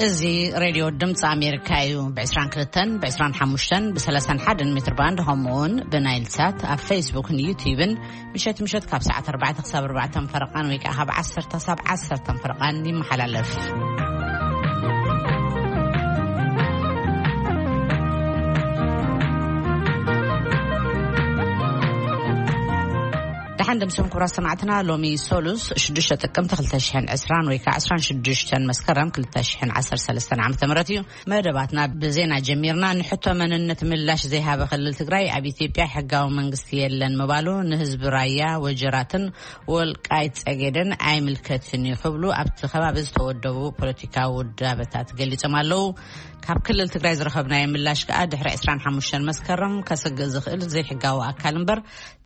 እዚ ሬድዮ ድምፂ ኣሜሪካ እዩ። ብ22፣ ብ25፣ ብ31 ሜትር ባንድ፣ ከምኡውን ብናይል ሳት ኣብ ፌስቡክን ዩቲዩብን ምሸት ምሸት ካብ ሰዓት 4 ክሳብ 4 ፈረቓን ወይ ከዓ ካብ 10 ክሳብ 10 ፈረቓን ይመሓላለፍ። ደሓን ደምስኹም ክቡራት ሰማዕትና። ሎሚ ሶሉስ ሽዱሽተ ጥቅምቲ ክልተ ሽሕን ዕስራን ወይ ከዓ ዕስራን ሽዱሽተን መስከረም ክልተ ሽሕን ዓሰርተ ሰለስተን ዓመተ ምህረት እዩ። መደባትና ብዜና ጀሚርና። ንሕቶ መንነት ምላሽ ዘይሃበ ክልል ትግራይ ኣብ ኢትዮጵያ ሕጋዊ መንግስቲ የለን ምባሉ ንህዝቢ ራያ ወጀራትን ወልቃይት ጸገዴን ኣይምልከትን እዩ ክብሉ ኣብቲ ከባቢ ዝተወደቡ ፖለቲካዊ ውዳበታት ገሊጾም ኣለዉ። ካብ ክልል ትግራይ ዝረኸብናዮ ምላሽ ከኣ ድሕሪ ዕስራን ሓሙሽተን መስከረም ከስግእ ዝኽእል ዘይሕጋዊ ኣካል እምበር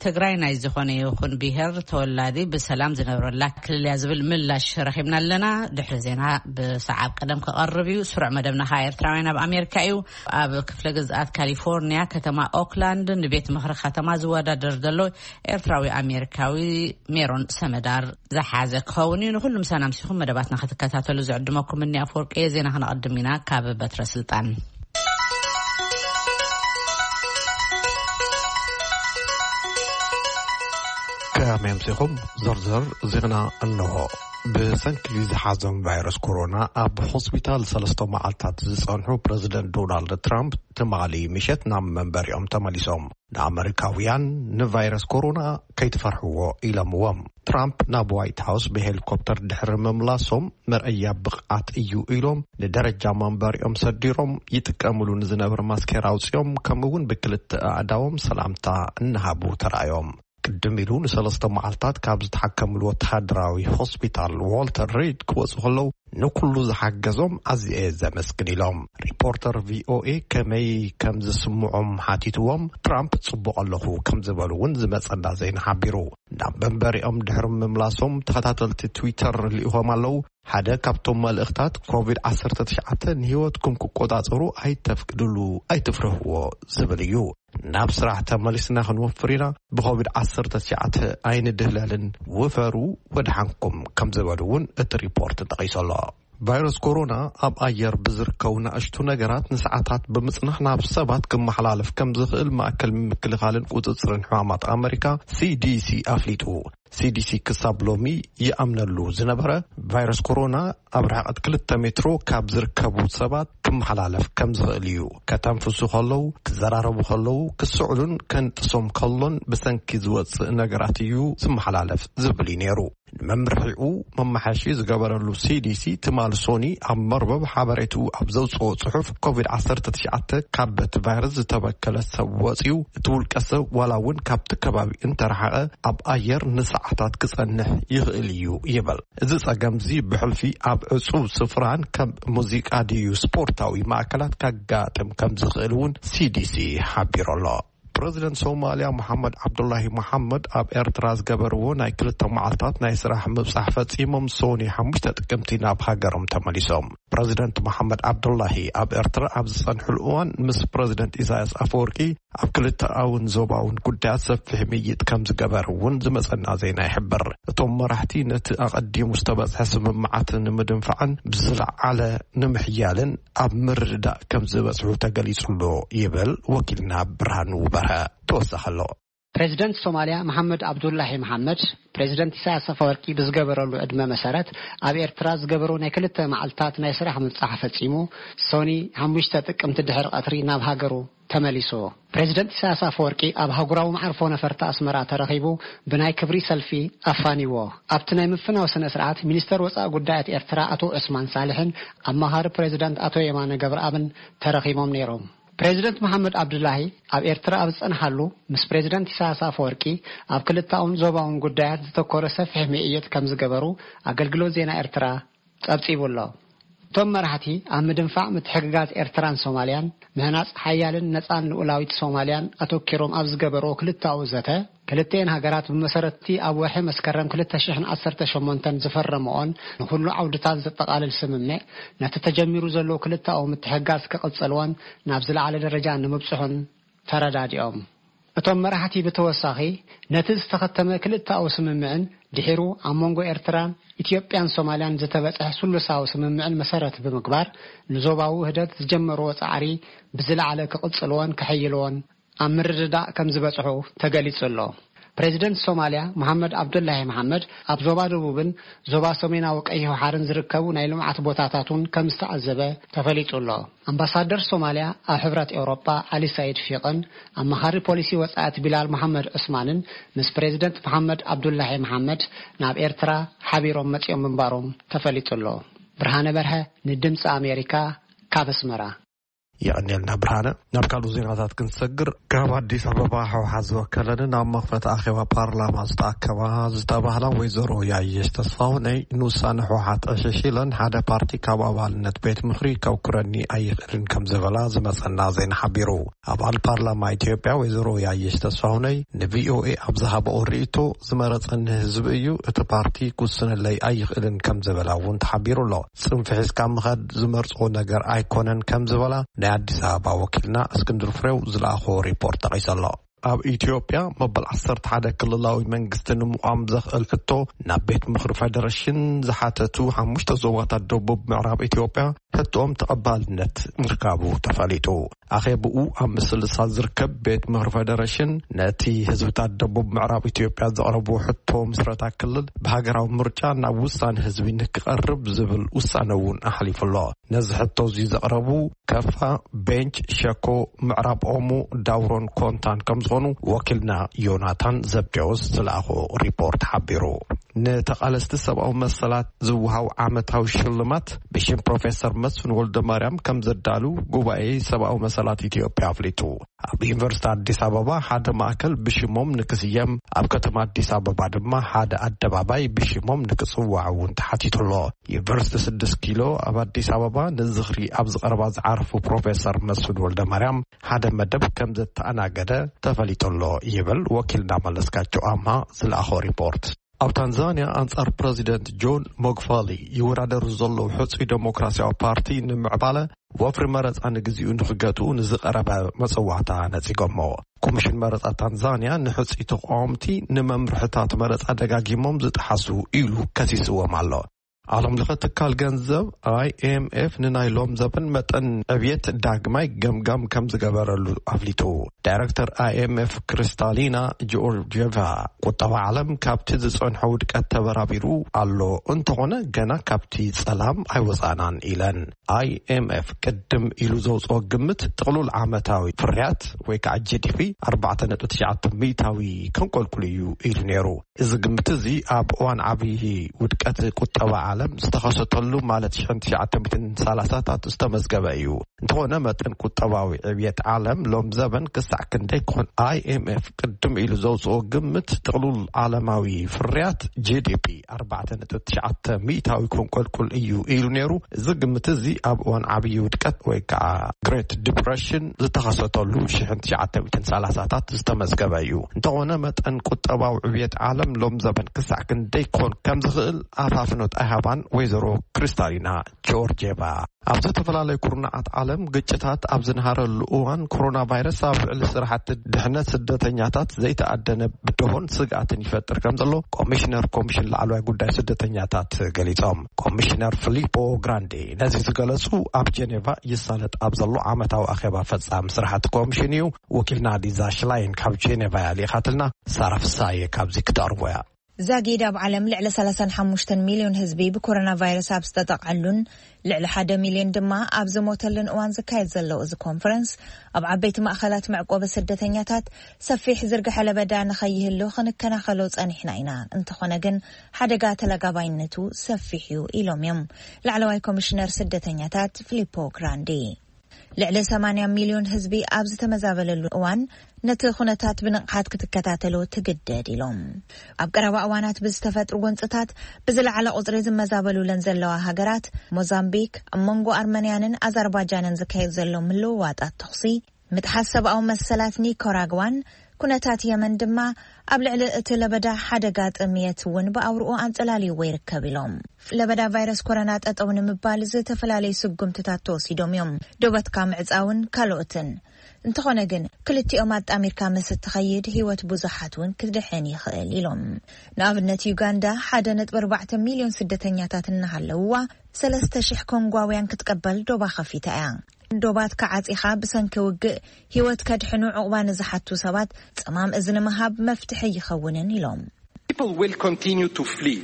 ትግራይ ናይ ዝኾነ ይኹን ብሄር ተወላዲ ብሰላም ዝነብረላ ክልል እያ ዝብል ምላሽ ረኺብና ኣለና። ድሕሪ ዜና ብሰዓብ ቀደም ክቐርብ እዩ። ስሩዕ መደብና ኸኣ ኤርትራውያን ኣብ ኣሜሪካ እዩ። ኣብ ክፍለ ግዝኣት ካሊፎርኒያ ከተማ ኦክላንድ ንቤት ምኽሪ ከተማ ዝወዳደር ዘሎ ኤርትራዊ ኣሜሪካዊ ሜሮን ሰመዳር ዝሓዘ ክኸውን እዩ። ንኹሉ ምሳና ምሲኹም መደባትና ክትከታተሉ ዝዕድመኩም እኒ ኣፈወርቂ እየ። ዜና ክነቐድም ኢና ካብ በትረ ስልጣን። ከመይ ኣምሲኹም? ዝርዝር ዜና እንሆ። ብሰንኪ ዝሓዞም ቫይረስ ኮሮና ኣብ ሆስፒታል ሰለስተ መዓልታት ዝጸንሑ ፕረዚደንት ዶናልድ ትራምፕ ትማሊ ምሸት ናብ መንበሪኦም ተመሊሶም። ንኣመሪካውያን ንቫይረስ ኮሮና ከይትፈርሕዎ ኢሎምዎም። ትራምፕ ናብ ዋይት ሃውስ ብሄሊኮፕተር ድሕሪ ምምላሶም መርኣያ ብቕዓት እዩ ኢሎም ንደረጃ መንበሪኦም ሰዲሮም ይጥቀምሉ ንዝነበረ ማስኬራ ኣውፂኦም፣ ከምኡ እውን ብክልተ ኣእዳዎም ሰላምታ እናሃቡ ተራእዮም። ቅድም ኢሉ ንሰለስተ መዓልታት ካብ ዝተሓከምሉ ወተሃደራዊ ሆስፒታል ዋልተር ሪድ ክወፁ ከለዉ ንኩሉ ዝሓገዞም ኣዝየ ዘመስግን ኢሎም። ሪፖርተር ቪኦኤ ከመይ ከም ዝስምዖም ሓቲትዎም ትራምፕ ጽቡቕ ኣለኹ ከም ዝበሉ እውን ዝመጸና ዜና ሓቢሩ። ናብ መንበሪኦም ድሕሪ ምምላሶም ተኸታተልቲ ትዊተር ልኢኾም ኣለዉ። ሓደ ካብቶም መልእኽታት ኮቪድ ዓሰርተ ትሽዓተ ንህይወትኩም ክቆጻጸሩ ኣይተፍቅድሉ፣ ኣይትፍርህዎ ዝብል እዩ። ናብ ስራሕ ተመሊስና ክንወፍር ኢና። ብኮቪድ ዓሰርተ ትሽዓተ ኣይንድህለልን፣ ውፈሩ ወድሓንኩም ከም ዝበሉ እውን እቲ ሪፖርት ጠቒሱ ኣሎ። ቫይረስ ኮሮና ኣብ ኣየር ብዝርከቡ ንኣሽቱ ነገራት ንሰዓታት ብምጽናሕ ናብ ሰባት ክመሓላለፍ ከም ዝኽእል ማእከል ምክልኻልን ቁጽጽርን ሕማማት ኣመሪካ ሲዲሲ ኣፍሊጡ። ሲዲሲ ክሳብ ሎሚ ይኣምነሉ ዝነበረ ቫይረስ ኮሮና ኣብ ርሕቀት ክልተ ሜትሮ ካብ ዝርከቡ ሰባት ክመሓላለፍ ከም ዝኽእል እዩ። ከተንፍሱ ከለዉ፣ ክዘራረቡ ከለዉ፣ ክስዕሉን ከንጥሶም ከሎን ብሰንኪ ዝወጽእ ነገራት እዩ ዝመሓላለፍ ዝብል እዩ ነይሩ። ንመምርሒኡ መማሓየሺ ዝገበረሉ ሲዲሲ ትማሊ ሶኒ ኣብ መርበብ ሓበሬትኡ ኣብ ዘውፅኦ ጽሑፍ ኮቪድ ዓሰርተ ትሽዓተ ካብ በቲ ቫይረስ ዝተበከለ ሰብ ወፂኡ እቲ ውልቀ ሰብ ዋላ እውን ካብቲ ከባቢ እንተረሓቐ ኣብ ኣየር ንሰዓታት ክጸንሕ ይኽእል እዩ ይብል። እዚ ጸገምዚ ብሕልፊ ኣብ ዕጹብ ስፍራን ከም ሙዚቃ ድዩ ስፖርታዊ ማእከላት ከጋጥም ከም ዝኽእል እውን ሲዲሲ ሓቢሩ ኣሎ። ፕረዚደንት ሶማልያ መሓመድ ዓብዱላሂ መሓመድ ኣብ ኤርትራ ዝገበርዎ ናይ ክልተ መዓልታት ናይ ስራሕ ምብጻሕ ፈጺሞም ሶኒ ሓሙሽተ ጥቅምቲ ናብ ሃገሮም ተመሊሶም። ፕረዚደንት መሓመድ ዓብዱላሂ ኣብ ኤርትራ ኣብ ዝጸንሕሉ እዋን ምስ ፕረዚደንት ኢሳያስ ኣፈወርቂ ኣብ ክልተኣውን ዞባውን ጉዳያት ሰፊሕ ምይጥ ከም ዝገበር እውን ዝመጸና ዜና ይሕብር። እቶም መራሕቲ ነቲ ኣቐዲሙ ዝተበጽሐ ስምምዓት ንምድንፋዕን ብዝለዓለ ንምሕያልን ኣብ ምርድዳእ ከም ዝበጽሑ ተገሊጹ ኣሎ ይብል ወኪልና ብርሃኑ በርሀ። ተወሳኺ ኣሎ። ፕሬዚደንት ሶማልያ መሓመድ ኣብዱላሂ መሓመድ ፕሬዚደንት ኢሳያስ ኣፈወርቂ ብዝገበረሉ ዕድመ መሰረት ኣብ ኤርትራ ዝገበሮ ናይ ክልተ መዓልታት ናይ ስራሕ ምብጻሕ ፈጺሙ ሶኒ ሓሙሽተ ጥቅምቲ ድሕሪ ቀትሪ ናብ ሃገሩ ተመሊሱ። ፕሬዚደንት ኢሳያስ ኣፈወርቂ ኣብ ሃገራዊ መዓርፎ ነፈርቲ ኣስመራ ተረኺቡ ብናይ ክብሪ ሰልፊ ኣፋኒዎ። ኣብቲ ናይ ምፍናው ስነ ስርዓት ሚኒስተር ወጻኢ ጉዳያት ኤርትራ ኣቶ ዑስማን ሳልሕን ኣማኻሪ ፕሬዚዳንት ኣቶ የማነ ገብረኣብን ተረኺቦም ነይሮም። ፕሬዚደንት መሓመድ ኣብዱላሂ ኣብ ኤርትራ ኣብ ዝጸንሓሉ ምስ ፕሬዚደንት ኢሳያስ ኣፈወርቂ ኣብ ክልተኣውን ዞባውን ጉዳያት ዝተኮረ ሰፊሕ ምይይጥ ከም ዝገበሩ ኣገልግሎት ዜና ኤርትራ ጸብጺቡ ኣሎ። እቶም መራሕቲ ኣብ ምድንፋዕ ምትሕግጋዝ ኤርትራን ሶማልያን ምህናጽ ሓያልን ነጻን ልኡላዊት ሶማልያን ኣተኪሮም ኣብ ዝገበርዎ ክልተኣዊ ዘተ፣ ክልተኤን ሃገራት ብመሰረትቲ ኣብ ወርሒ መስከረም ክልተ ሽሕን ዓሰርተ ሸሞንተን ዝፈረምኦን ንኹሉ ዓውድታት ዘጠቓልል ስምምዕ ነቲ ተጀሚሩ ዘሎ ክልተኣዊ ምትሕግጋዝ ክቕጽልዎን ናብ ዝለዓለ ደረጃ ንምብጽሑን ተረዳዲኦም። እቶም መራሕቲ ብተወሳኺ ነቲ ዝተኸተመ ክልተኣዊ ስምምዕን ድሒሩ ኣብ መንጎ ኤርትራን ኢትዮጵያን ሶማልያን ዝተበጽሐ ስሉሳዊ ስምምዕን መሰረት ብምግባር፣ ንዞባዊ ውህደት ዝጀመርዎ ጻዕሪ ብዝለዓለ ክቕጽልዎን ከሕይልዎን ኣብ ምርድዳእ ከም ዝበጽሑ ተገሊጹ ኣሎ። ፕሬዚደንት ሶማልያ መሓመድ ዓብዱላሂ መሓመድ ኣብ ዞባ ደቡብን ዞባ ሰሜናዊ ቀይሕ ባሕርን ዝርከቡ ናይ ልምዓት ቦታታት እውን ከም ዝተዓዘበ ተፈሊጡ ኣሎ። ኣምባሳደር ሶማልያ ኣብ ሕብረት ኤውሮጳ ዓሊ ሳይድ ፊቅን ኣማኻሪ ፖሊሲ ወጻኢት ቢላል መሓመድ ዑስማንን ምስ ፕሬዚደንት መሓመድ ዓብዱላሂ መሓመድ ናብ ኤርትራ ሓቢሮም መጺኦም ምንባሮም ተፈሊጡ ኣሎ። ብርሃነ በርሀ ንድምፂ ኣሜሪካ ካብ ኣስመራ። የቐንየልና ብርሃነ። ናብ ካልኡ ዜናታት ክንሰግር፣ ካብ ኣዲስ ኣበባ ህወሓት ዝወከለንን ኣብ መኽፈቲ ኣኼባ ፓርላማ ዝተኣከባ ዝተባህላ ወይዘሮ ያየሽ ተስፋሁነይ ንውሳነ ህወሓት ዕሽሽ ኢለን ሓደ ፓርቲ ካብ ኣባልነት ቤት ምኽሪ ከውክረኒ ኣይኽእልን ከም ዝበላ ዝመጸና ዜና ሓቢሩ። ኣባል ፓርላማ ኢትዮጵያ ወይዘሮ ያየሽ ተስፋሁነይ ንቪኦኤ ኣብ ዝሃበኦ ርእይቶ፣ ዝመረጸኒ ህዝቢ እዩ፣ እቲ ፓርቲ ክውስነለይ ኣይኽእልን ከም ዝበላ እውን ተሓቢሩ ኣሎ። ጽንፊ ሒዝካ ምኻድ ዝመርጾ ነገር ኣይኮነን ከም ዝበላ ናይ ኣዲስ ኣበባ ወኪልና እስክንድር ፍሬው ዝለኣኾ ሪፖርት ጠቒሱ ኣሎ። ኣብ ኢትዮጵያ መበል ዓሰርተ ሓደ ክልላዊ መንግስቲ ንምቋም ዘኽእል ሕቶ ናብ ቤት ምኽሪ ፌደሬሽን ዝሓተቱ ሓሙሽተ ዞባታት ደቡብ ምዕራብ ኢትዮጵያ ሕቶኦም ተቐባልነት ምርካቡ ተፈሊጡ። ኣኼብኡ ኣብ ምስልሳል ዝርከብ ቤት ምኽሪ ፌደሬሽን ነቲ ህዝብታት ደቡብ ምዕራብ ኢትዮጵያ ዘቕረቡ ሕቶ ምስረታ ክልል ብሃገራዊ ምርጫ ናብ ውሳነ ህዝቢ ንክቐርብ ዝብል ውሳነ እውን ኣሕሊፉ ኣሎ። ነዚ ሕቶ እዚ ዘቕረቡ ከፋ፣ ቤንች ሸኮ፣ ምዕራብ ኦሞ፣ ዳውሮን ኮንታን ከም ዝኾኑ ወኪልና ዮናታን ዘብዴዎስ ዝለኣኾ ሪፖርት ሓቢሩ። ንተቓለስቲ ሰብኣዊ መሰላት ዝወሃብ ዓመታዊ ሽልማት ብሽም ፕሮፌሰር መስፍን ወልደ ማርያም ከም ዘዳሉ ጉባኤ ሰብኣዊ መሰላት ኢትዮጵያ ኣፍሊጡ። ኣብ ዩኒቨርሲቲ ኣዲስ ኣበባ ሓደ ማእከል ብሽሞም ንክስየም፣ ኣብ ከተማ ኣዲስ ኣበባ ድማ ሓደ ኣደባባይ ብሽሞም ንክጽዋዕ እውን ተሓቲቱ ኣሎ። ዩኒቨርሲቲ ስድስት ኪሎ ኣብ ኣዲስ ኣበባ ንዝኽሪ ኣብ ዝቐረባ ዝዓረፉ ፕሮፌሰር መስፍን ወልደ ማርያም ሓደ መደብ ከም ዘተኣናገደ ተፈሊጡ ኣሎ ይብል ወኪልና መለስካቸው ኣምሃ ዝለኣኾ ሪፖርት። ኣብ ታንዛንያ ኣንጻር ፕረዚደንት ጆን ሞግፋሊ ይወዳደሩ ዘለዉ ሕጹይ ደሞክራሲያዊ ፓርቲ ንምዕባለ ወፍሪ መረጻ ንግዚኡ ንክገትኡ ንዝቐረበ መጸዋዕታ ነጺጎሞ። ኮሚሽን መረጻ ታንዛንያ ንሕጹይ ተቃወምቲ ንመምርሕታት መረጻ ደጋጊሞም ዝጠሓሱ ኢሉ ከሲስዎም ኣሎ። ዓለም ለኸ ትካል ገንዘብ ኣይ ኤም ኤፍ ንናይ ሎም ዘበን መጠን ዕብየት ዳግማይ ገምጋም ከም ዝገበረሉ ኣፍሊጡ። ዳይረክተር ኣይ ኤም ኤፍ ክሪስታሊና ጆርጂየቫ፣ ቁጠባ ዓለም ካብቲ ዝጸንሖ ውድቀት ተበራቢሩ ኣሎ፣ እንተኾነ ገና ካብቲ ጸላም ኣይወጻናን ኢለን። ኣይ ኤም ኤፍ ቅድም ኢሉ ዘውጽኦ ግምት ጥቕሉል ዓመታዊ ፍርያት ወይ ከዓ ጂ ዲ ፒ ኣርባዕተ ነጥቢ ትሽዓተ ሚእታዊ ከንቆልቁል እዩ ኢሉ ነይሩ። እዚ ግምት እዚ ኣብ እዋን ዓብዪ ውድቀት ቁጠባ ዓለም ዝተኸሰተሉ ማለት ሽሕን ትሽዓተ ሚእትን ሰላሳታት ዝተመዝገበ እዩ። እንተኾነ መጠን ቁጠባዊ ዕብየት ዓለም ሎም ዘበን ክሳዕ ክንደይ ክኾን ኣይ ኤም ኤፍ ቅድም ኢሉ ዘውፅኦ ግምት ጥቕሉል ዓለማዊ ፍርያት ጂ ዲ ፒ ኣርባዕተ ነጥቢ ትሽዓተ ሚእታዊ ከንቆልቁል እዩ ኢሉ ነይሩ። እዚ ግምት እዚ ኣብ እዋን ዓብዪ ውድቀት ወይ ከዓ ግሬት ዲፕሬሽን ዝተኸሰተሉ ሽሕን ትሽዓተ ሚእትን ሰላሳታት ዝተመዝገበ እዩ። እንተኾነ መጠን ቁጠባዊ ዕብየት ዓለም ሎም ዘበን ክሳዕ ክንደይ ክኾን ከም ዝኽእል ኣፋፍኖት ኣይሃባን ወይዘሮ ክሪስታሊና ጆርጄቫ። ኣብ ዝተፈላለዩ ኩርናዓት ዓለም ግጭታት ኣብ ዝንሃረሉ እዋን ኮሮና ቫይረስ ኣብ ልዕሊ ስራሕቲ ድሕነት ስደተኛታት ዘይተኣደነ ብድሆን ስግኣትን ይፈጥር ከም ዘሎ ኮሚሽነር ኮሚሽን ላዕለዋይ ጉዳይ ስደተኛታት ገሊጾም። ኮሚሽነር ፊሊፖ ግራንዴ ነዚ ዝገለጹ ኣብ ጀኔቫ ይሳለጥ ኣብ ዘሎ ዓመታዊ ኣኼባ ፈጻሚ ስራሕቲ ኮሚሽን እዩ። ወኪልና ሊዛ ሽላይን ካብ ጀኔቫ እያ ልኢኻትልና። ሳራ ፍሳየ ካብዚ ክተቕርቦ እያ። ዛጊድ ኣብ ዓለም ልዕሊ ሰላሳን ሓሙሽተን ሚልዮን ህዝቢ ብኮሮና ቫይረስ ኣብ ዝተጠቕዐሉን ልዕሊ ሓደ ሚልዮን ድማ ኣብ ዝሞተሉን እዋን ዝካየድ ዘሎ እዚ ኮንፈረንስ፣ ኣብ ዓበይቲ ማእኸላት መዕቆቢ ስደተኛታት ሰፊሕ ዝርግሐ ለበዳ ንኸይህሉ ክንከናኸሎ ጸኒሕና ኢና። እንተኾነ ግን ሓደጋ ተለጋባይነቱ ሰፊሕ እዩ ኢሎም እዮም ላዕለዋይ ኮሚሽነር ስደተኛታት ፊሊፖ ግራንዲ። ልዕሊ ሰማንያ ሚልዮን ህዝቢ ኣብ ዝተመዛበለሉ እዋን ነቲ ኩነታት ብንቕሓት ክትከታተሎ ትግደድ ኢሎም። ኣብ ቀረባ እዋናት ብዝተፈጥሩ ጎንጽታት ብዝለዓለ ቁጽሪ ዝመዛበሉለን ዘለዋ ሃገራት ሞዛምቢክ፣ ኣብ መንጎ ኣርመንያንን ኣዘርባጃንን ዝካየድ ዘሎ ምልውዋጣት ተኹሲ፣ ምጥሓስ ሰብኣዊ መሰላት ኒካራግዋን ኩነታት የመን ድማ ኣብ ልዕሊ እቲ ለበዳ ሓደጋ ጥምየት እውን ብኣውርኡ ኣንጸላልይዎ ይርከብ ኢሎም። ለበዳ ቫይረስ ኮሮና ጠጠው ንምባል ዝተፈላለዩ ስጉምትታት ተወሲዶም እዮም። ዶባትካ ምዕጻውን ካልኦትን። እንተኾነ ግን ክልቲኦም ኣጣሚርካ ምስ እትኸይድ ህይወት ብዙሓት እውን ክድሕን ይኽእል ኢሎም። ንኣብነት ዩጋንዳ ሓደ ነጥቢ ኣርባዕተ ሚልዮን ስደተኛታት እናሃለውዋ ሰለስተ ሽሕ ኮንጓውያን ክትቀበል ዶባ ከፊታ እያ። ዶባት ከዓጺኻ ብሰንኪ ውግእ ህይወት ከድሕኑ ዕቑባ ንዝሓቱ ሰባት ጽማም እዝኒ ምሃብ መፍትሒ ይኸውንን ኢሎም። People will continue to flee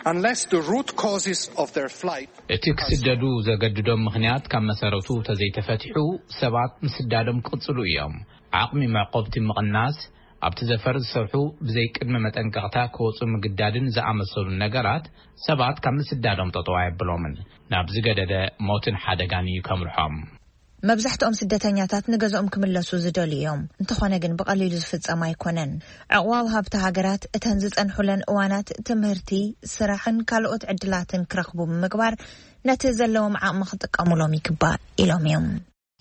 unless the root causes of their flight እቲ ክስደዱ ዘገድዶም ምኽንያት ካብ መሰረቱ ተዘይተፈቲሑ ሰባት ምስዳዶም ክቕጽሉ እዮም። ዓቕሚ መዕቆብቲ ምቕናስ፣ ኣብቲ ዘፈር ዝሰርሑ ብዘይ ቅድመ መጠንቀቕታ ክወጹ ምግዳድን ዝኣመሰሉ ነገራት ሰባት ካብ ምስዳዶም ጠጠው ኣየብሎምን፣ ናብ ዝገደደ ሞትን ሓደጋን እዩ ከምርሖም። መብዛሕትኦም ስደተኛታት ንገዝኦም ክምለሱ ዝደልዩ እዮም። እንተኾነ ግን ብቐሊሉ ዝፍጸም ኣይኮነን። ዕቕባ ወሃብቲ ሃገራት እተን ዝጸንሑለን እዋናት ትምህርቲ፣ ስራሕን ካልኦት ዕድላትን ክረኽቡ ብምግባር ነቲ ዘለዎም ዓቕሚ ክጥቀሙሎም ይግባእ ኢሎም እዮም።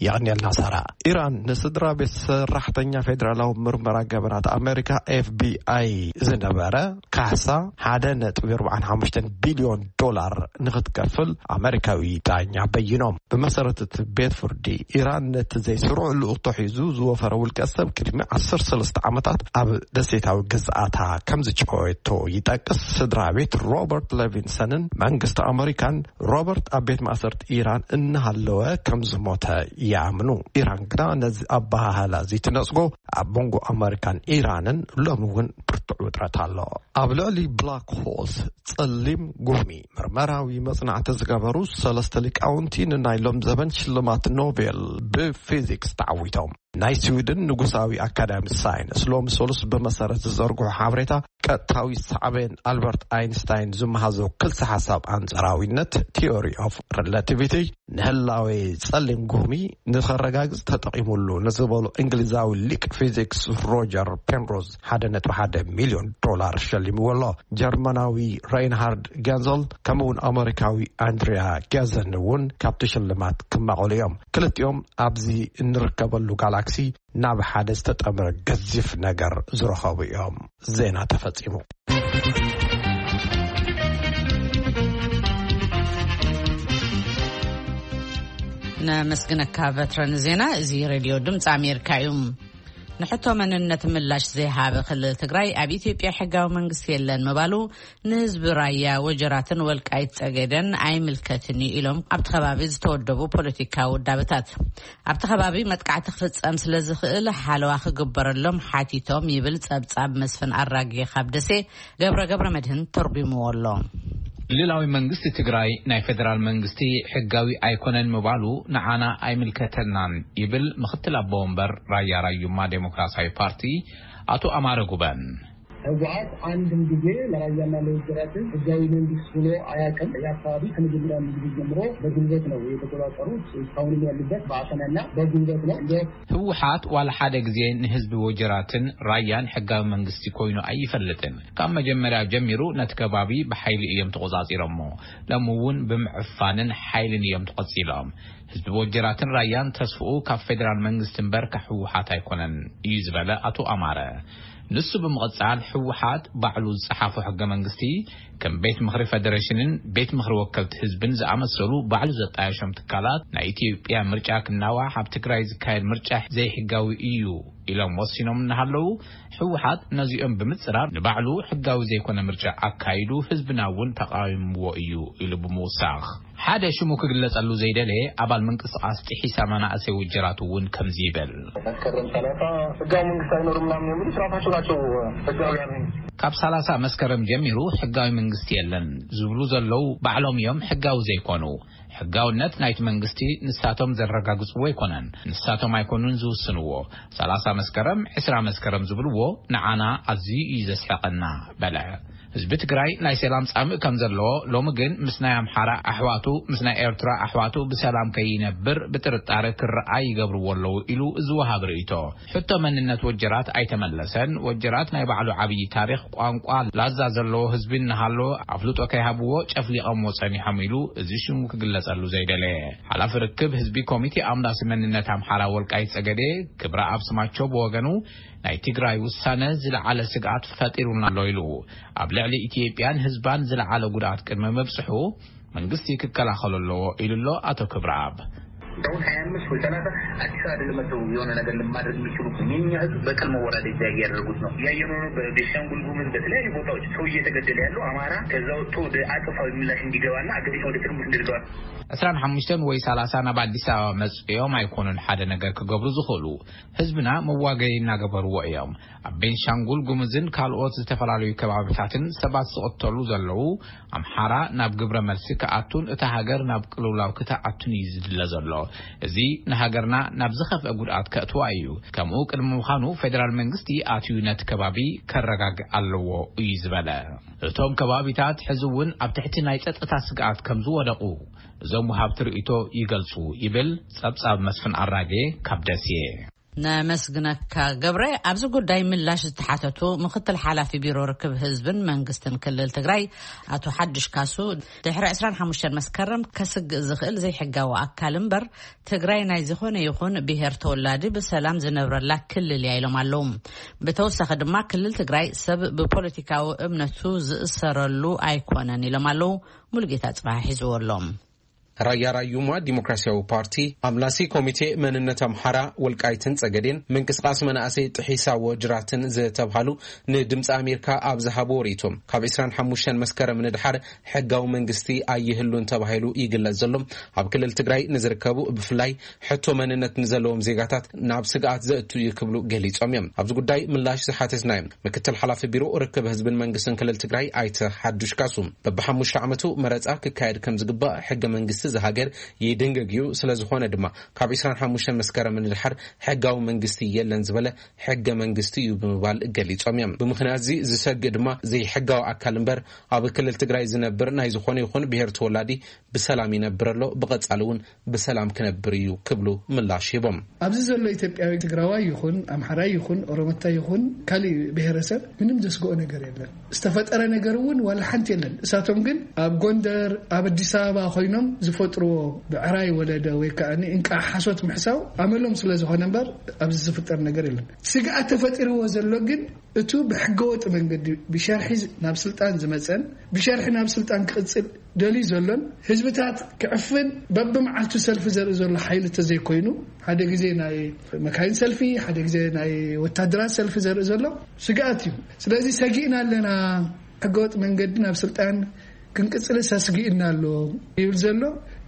የቐንየልና ሳራ። ኢራን ንስድራ ቤት ሰራሕተኛ ፌደራላዊ ምርመራ ገበናት ኣሜሪካ ኤፍቢኣይ ዝነበረ ካሕሳ ሓደ ነጥቢ ኣርባዓን ሓሙሽተን ቢልዮን ዶላር ንክትከፍል ኣሜሪካዊ ዳኛ በይኖም። ብመሰረት እቲ ቤት ፍርዲ፣ ኢራን ነቲ ዘይስሩዕ ልኡኽቶ ሒዙ ዝወፈረ ውልቀ ሰብ ቅድሚ ዓሰርተ ሰለስተ ዓመታት ኣብ ደሴታዊ ግዝኣታ ከም ዝጨወየቶ ይጠቅስ። ስድራ ቤት ሮበርት ሌቪንሰንን መንግስቲ ኣሜሪካን ሮበርት ኣብ ቤት ማእሰርቲ ኢራን እናሃለወ ከም ዝሞተ ይኣምኑ። ኢራን ግና ነዚ ኣበሃህላ እዚ ትነጽጎ። ኣብ መንጎ ኣመሪካን ኢራንን ሎሚ እውን ብርቱዕ ውጥረት ኣሎ። ኣብ ልዕሊ ብላክ ሆልስ፣ ጸሊም ጉሚ፣ ምርመራዊ መጽናዕቲ ዝገበሩ ሰለስተ ሊቃውንቲ ንናይ ሎም ዘበን ሽልማት ኖቤል ብፊዚክስ ተዓዊቶም። ናይ ስዊድን ንጉሳዊ ኣካዳሚ ሳይንስ ሎሚ ሰሉስ ብመሰረት ዝዘርግሑ ሓበሬታ ቀጥታዊ ሳዕቤን ኣልበርት ኣይንስታይን ዝመሃዞ ክልሲ ሓሳብ ኣንጻራዊነት፣ ቲዮሪ ኦፍ ሪላቲቪቲ፣ ንህላዌ ጸሊም ጉሚ ንኸረጋግጽ ተጠቒሙሉ ንዝበሉ እንግሊዛዊ ሊቅ ፊዚክስ ሮጀር ፔንሮዝ ሓደ ነጥቢ ሓደ ሚልዮን ዶላር ሸሊምዎ ኣሎ። ጀርመናዊ ሬይንሃርድ ጋንዘል ከምኡውን ኣመሪካዊ ኣንድሪያ ጋዘን እውን ካብቲ ሽልማት ክማቐሉ እዮም። ክልቲኦም ኣብዚ እንርከበሉ ጋላክሲ ናብ ሓደ ዝተጠምረ ገዚፍ ነገር ዝረኸቡ እዮም። ዜና ተፈጺሙ። ነመስግነካ በትረ ንዜና። እዚ ሬድዮ ድምፂ ኣሜሪካ እዩ። ንሕቶ መንነት ምላሽ ዘይሃበ ክልል ትግራይ ኣብ ኢትዮጵያ ሕጋዊ መንግስቲ የለን ምባሉ ንህዝቢ ራያ ወጀራትን ወልቃይት ጸገደን ኣይምልከትን እዩ ኢሎም ኣብቲ ከባቢ ዝተወደቡ ፖለቲካዊ ውዳበታት። ኣብቲ ከባቢ መጥቃዕቲ ክፍጸም ስለ ዝኽእል ሓለዋ ክግበረሎም ሓቲቶም ይብል ጸብጻብ መስፍን ኣራጌ ካብ ደሴ። ገብረ ገብረ መድህን ተርጉምዎ ኣሎ። ክልላዊ መንግስቲ ትግራይ ናይ ፌደራል መንግስቲ ሕጋዊ ኣይኮነን ምባሉ ንዓና ኣይምልከተናን ይብል ምክትል ኣቦ ወንበር ራያ ራዩማ ዴሞክራሲያዊ ፓርቲ ኣቶ ኣማረ ጉበን። ህወሓት አንድም ጊዜ ለራያና ለወጀራትን ህጋዊ መንግስት ሆኖ አያውቅም። ይህ አካባቢ ከመጀመሪያ ጊዜ ጀምሮ በጉልበት ነው የተቆጣጠሩት። እስካሁንም ያሉበት በአፈናና በጉልበት ነው። እንደ ህወሓት ዋላ ሓደ ግዜ ንህዝቢ ወጀራትን ራያን ሕጋዊ መንግስቲ ኮይኑ ኣይፈልጥን። ካብ መጀመርያ ጀሚሩ ነቲ ከባቢ ብሓይሊ እዮም ተቆጻጺሮሞ። ሎሚ እውን ብምዕፋንን ሓይልን እዮም ተቆጺሎም። ህዝቢ ወጀራትን ራያን ተስፍኡ ካብ ፌደራል መንግስቲ እምበር ካብ ህወሓት ኣይኮነን እዩ ዝበለ ኣቶ ኣማረ። ንሱ ብምቕጻል ህወሓት ባዕሉ ዝጸሓፎ ሕገ መንግስቲ ከም ቤት ምኽሪ ፌደሬሽንን ቤት ምኽሪ ወከልቲ ህዝብን ዝኣመሰሉ ባዕሉ ዘጣየሾም ትካላት ናይ ኢትዮጵያ ምርጫ ክናዋሕ ኣብ ትግራይ ዝካየድ ምርጫ ዘይሕጋዊ እዩ ኢሎም ወሲኖም እናሃለዉ፣ ህወሓት ነዚኦም ብምጽራር ንባዕሉ ሕጋዊ ዘይኮነ ምርጫ ኣካይዱ ህዝብና እውን ተቓዊምዎ እዩ ኢሉ ብምውሳኽ፣ ሓደ ሽሙ ክግለጸሉ ዘይደለየ ኣባል ምንቅስቃስ ጢሒሳ መናእሰይ ውጀራት እውን ከምዚ ይብል። መስከረም ሰላሳ ህጋዊ መንግስት አይኖርም ምናምን የሚሉ ስርዓታቸው ናቸው ህጋውያን። ካብ ሰላሳ መስከረም ጀሚሩ ሕጋዊ መንግስቲ የለን ዝብሉ ዘለዉ ባዕሎም እዮም ሕጋዊ ዘይኮኑ። ሕጋውነት ናይቲ መንግስቲ ንሳቶም ዘረጋግጽዎ ኣይኮነን። ንሳቶም ኣይኮኑን ዝውስንዎ። ሰላሳ መስከረም፣ ዕስራ መስከረም ዝብልዎ ንዓና ኣዝዩ እዩ ዘስሕቐና በለ። ህዝቢ ትግራይ ናይ ሰላም ጻምእ ከም ዘለዎ፣ ሎሚ ግን ምስ ናይ ኣምሓራ ኣሕዋቱ፣ ምስ ናይ ኤርትራ ኣሕዋቱ ብሰላም ከይነብር ብጥርጣረ ክረኣይ ይገብርዎ ኣለዉ ኢሉ ዝወሃብ ርእይቶ። ሕቶ መንነት ወጀራት ኣይተመለሰን። ወጀራት ናይ ባዕሉ ዓብዪ ታሪኽ፣ ቋንቋ፣ ላዛ ዘለዎ ህዝቢ እናሃለዎ ኣፍልጦ ከይሃብዎ ጨፍሊቐምዎ ጸኒሖም ኢሉ እዚ ሽሙ ክግለጸሉ ዘይደለየ ሓላፊ ርክብ ህዝቢ ኮሚቴ ኣምላሲ መንነት ኣምሓራ ወልቃይት ጸገዴ ክብረኣብ ስማቸው ብወገኑ፣ ናይ ትግራይ ውሳነ ዝለዓለ ስግኣት ፈጢሩና ኣሎ ኢሉ። ኣብ ልዕሊ ኢትዮጵያን ህዝባን ዝለዓለ ጉድኣት ቅድሚ ምብጽሑ መንግስቲ ክከላኸሎ ኣለዎ ኢሉ ኣሎ ኣቶ ክብረኣብ። አሁን ሀያ አምስት ወይ ሰላሳ አዲስ አበባ ለመተው የሆነ ነገር ለማድረግ የሚችሉ የኛ ህዝብ በቀል መወራደጃ እያደረጉት ነው። እያየነው ነው። በቤንሻንጉል ጉሙዝ በተለያዩ ቦታዎች ሰው እየተገደለ ያለው አማራ ከዛ ወጥቶ ወደ አጸፋዊ ምላሽ እንዲገባና አገሪቱ ወደ ትርምስ እንድትገባ ዕስራን ሓሙሽተን ወይ ሰላሳ ናብ ኣዲስ ኣበባ መጽኦም ኣይኮኑን ሓደ ነገር ክገብሩ ዝኽእሉ። ህዝብና መዋገይ እናገበርዎ እዮም። ኣብ ቤንሻንጉል ጉሙዝን ካልኦት ዝተፈላለዩ ከባብታትን ሰባት ዝቕተሉ ዘለዉ፣ ኣምሓራ ናብ ግብረ መልሲ ክኣቱን እታ ሃገር ናብ ቅልውላው ክትኣቱን እዩ ዝድለ ዘሎ። እዚ ንሃገርና ናብ ዝኸፍአ ጉድኣት ከእትዋ እዩ። ከምኡ ቅድሚ ምዃኑ ፌደራል መንግስቲ ኣትዩ ነቲ ከባቢ ከረጋግእ ኣለዎ እዩ ዝበለ። እቶም ከባቢታት ሕዚ እውን ኣብ ትሕቲ ናይ ጸጥታ ስግኣት ከም ዝወደቑ እዞም ወሃብቲ ርእይቶ ይገልጹ ይብል ጸብጻብ መስፍን ኣራጌ ካብ ደሴ። ነመስግነካ ገብረ። ኣብዚ ጉዳይ ምላሽ ዝተሓተቱ ምክትል ሓላፊ ቢሮ ርክብ ህዝብን መንግስትን ክልል ትግራይ ኣቶ ሓዱሽ ካሱ፣ ድሕሪ ዕስራን ሓሙሽተን መስከረም ከስግእ ዝኽእል ዘይሕጋዊ ኣካል እምበር ትግራይ ናይ ዝኾነ ይኹን ብሄር ተወላዲ ብሰላም ዝነብረላ ክልል እያ ኢሎም ኣለዉ። ብተወሳኺ ድማ ክልል ትግራይ ሰብ ብፖለቲካዊ እምነቱ ዝእሰረሉ ኣይኮነን ኢሎም ኣለዉ። ሙሉጌታ ጽባሕ ሒዝዎ ኣሎ። ራያ ራዩማ ዲሞክራሲያዊ ፓርቲ፣ ኣምላሲ ኮሚቴ መንነት ኣምሓራ ወልቃይትን ጸገዴን፣ ምንቅስቃስ መናእሰይ ጥሒሳ ወጅራትን ዝተብሃሉ ንድምፂ ኣሜሪካ ኣብ ዝሃብዎ ርእይቶም፣ ካብ ዕስራን ሓሙሽተን መስከረም ንድሓር ሕጋዊ መንግስቲ ኣይህሉን ተባሂሉ ይግለጽ ዘሎ ኣብ ክልል ትግራይ ንዝርከቡ ብፍላይ ሕቶ መንነት ንዘለዎም ዜጋታት ናብ ስግኣት ዘእቱ እዩ ክብሉ ገሊጾም እዮም። ኣብዚ ጉዳይ ምላሽ ዝሓተትናዮም ምክትል ሓላፊ ቢሮ ርክብ ህዝብን መንግስትን ክልል ትግራይ ኣይተ ሓዱሽ ካሱ፣ በብሓሙሽተ ዓመቱ መረፃ ክካየድ ከም ዝግባእ ሕገ መንግስቲ ዝሃገር ይድንግግ እዩ። ስለ ዝኾነ ድማ ካብ ዕስራን ሓሙሽተን መስከረም ንድሓር ሕጋዊ መንግስቲ የለን ዝበለ ሕገ መንግስቲ እዩ ብምባል ገሊጾም እዮም። ብምኽንያት እዚ ዝሰግእ ድማ ዘይሕጋዊ ኣካል እምበር ኣብ ክልል ትግራይ ዝነብር ናይ ዝኾነ ይኹን ብሄር ተወላዲ ብሰላም ይነብር ኣሎ፣ ብቐጻሊ እውን ብሰላም ክነብር እዩ ክብሉ ምላሽ ሂቦም። ኣብዚ ዘሎ ኢትዮጵያዊ ትግራዋይ ይኹን ኣምሓራይ ይኹን ኦሮሞታይ ይኹን ካሊእ ብሄረሰብ ምንም ዘስግኦ ነገር የለን። ዝተፈጠረ ነገር እውን ዋላ ሓንቲ የለን። እሳቶም ግን ኣብ ጎንደር ኣብ ኣዲስ ኣበባ ኮይኖም ዝፈጥርዎ ብዕራይ ወለደ ወይ ከዓ እንቃ ሓሶት ምሕሳው ኣመሎም ስለ ዝኾነ እምበር ኣብዚ ዝፍጠር ነገር የለን። ስግኣት ተፈጢርዎ ዘሎ ግን እቱ ብሕገወጥ መንገዲ ብሸርሒ ናብ ስልጣን ዝመፀን ብሸርሒ ናብ ስልጣን ክቕፅል ደልዩ ዘሎን ህዝብታት ክዕፍን በብመዓልቱ ሰልፊ ዘርኢ ዘሎ ሓይሊ ተዘይኮይኑ ሓደ ግዜ ናይ መካይን ሰልፊ ሓደ ግዜ ናይ ወታደራት ሰልፊ ዘርኢ ዘሎ ስግኣት እዩ። ስለዚ ሰጊእና ኣለና፣ ሕገወጥ መንገዲ ናብ ስልጣን ክንቅፅል ሰስጊእና ኣሎ ይብል ዘሎ።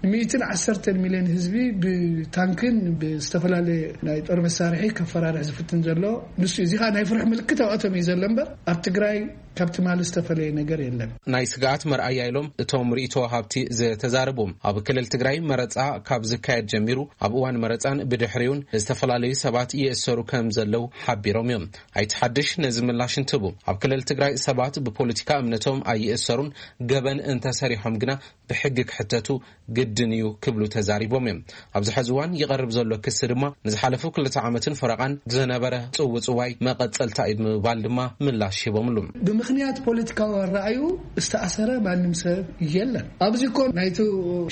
ንሚእትን ዓሰርተን ሚልዮን ህዝቢ ብታንክን ብዝተፈላለየ ናይ ጦር መሳርሒ ከፈራርሕ ዝፍትን ዘሎ ንሱ እዩ። እዚ ከዓ ናይ ፍርሒ ምልክት ኣብኣቶም እዩ ዘሎ እምበር ኣብ ትግራይ ካብ ትማሊ ዝተፈለየ ነገር የለን። ናይ ስግኣት መርኣያ ኢሎም እቶም ርእይቶ ወሃብቲ ዝተዛረቡ፣ ኣብ ክልል ትግራይ መረፃ ካብ ዝካየድ ጀሚሩ ኣብ እዋን መረፃን ብድሕሪውን ዝተፈላለዩ ሰባት ይእሰሩ ከም ዘለዉ ሓቢሮም እዮም። ኣይተ ሓድሽ ነዚ ምላሽ እንትህቡ፣ ኣብ ክልል ትግራይ ሰባት ብፖለቲካ እምነቶም ኣይእሰሩን፣ ገበን እንተሰሪሖም ግና ብሕጊ ክሕተቱ ግድን እዩ ክብሉ ተዛሪቦም እዮም። ኣብዚ ሐዚ እዋን ይቐርብ ዘሎ ክሲ ድማ ንዝሓለፉ ክልተ ዓመትን ፈረቓን ዝነበረ ጽውጽዋይ መቐጸልታ እዩ ብምባል ድማ ምላሽ ሂቦምሉ። ብምኽንያት ፖለቲካዊ ኣረኣዩ ዝተኣሰረ ማንም ሰብ የለን። ኣብዚ እኮ ናይቲ